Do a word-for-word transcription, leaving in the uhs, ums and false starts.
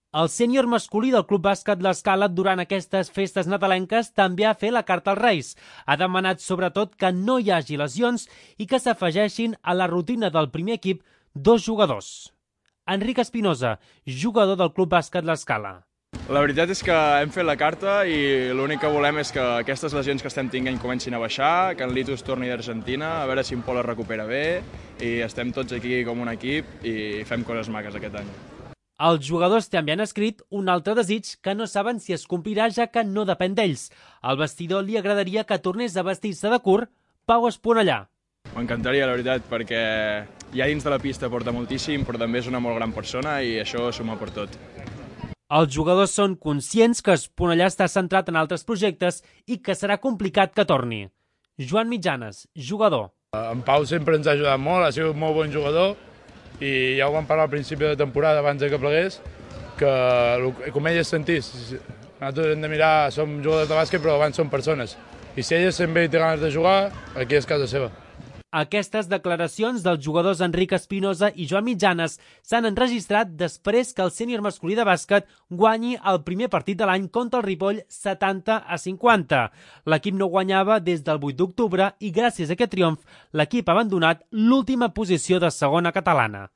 El sènior masculí del Club Bàsquet L'Escala durant aquestes festes nadalenques també ha fet la carta als Reis. Ha demanat sobretot que no hi hagi lesions i que s'afegeixin a la rutina del primer equip dos jugadors. Enric Espinosa, jugador del Club Bàsquet L'Escala. La veritat és que hem fet la carta i l'únic que volem és que aquestes lesions que estem tinguent comencin a baixar, que en Litus torni d'Argentina, a veure si en Pol es recupera bé i estem tots aquí com un equip i fem coses maques aquest any. Els jugadors també han escrit un altre desig que no saben si es complirà, ja que no depèn d'ells. Al vestidor li agradaria que tornés a vestir-se de curt Pau Esponellà. M'encantaria, la veritat, perquè ja dins de la pista porta moltíssim, però també és una molt gran persona i això suma per tot. Els jugadors són conscients que Esponellà està centrat en altres projectes i que serà complicat que torni. Joan Mitjanes, jugador. En Pau sempre ens ha ajudat molt, ha sigut molt bon jugador i ja ho vam parlar al principi de temporada abans que plegués, que com ell es sentís. Nosaltres hem de mirar, som jugadors de bàsquet però abans som persones. I si ell es sent bé i té ganes de jugar, aquí és casa seva. Aquestes declaracions dels jugadors Enric Espinosa i Joan Mitjanes s'han enregistrat després que el sènior masculí de bàsquet guanyi el primer partit de l'any contra el Ripoll setanta a cinquanta. L'equip no guanyava des del vuit d'octubre i gràcies a aquest triomf l'equip ha abandonat l'última posició de segona catalana.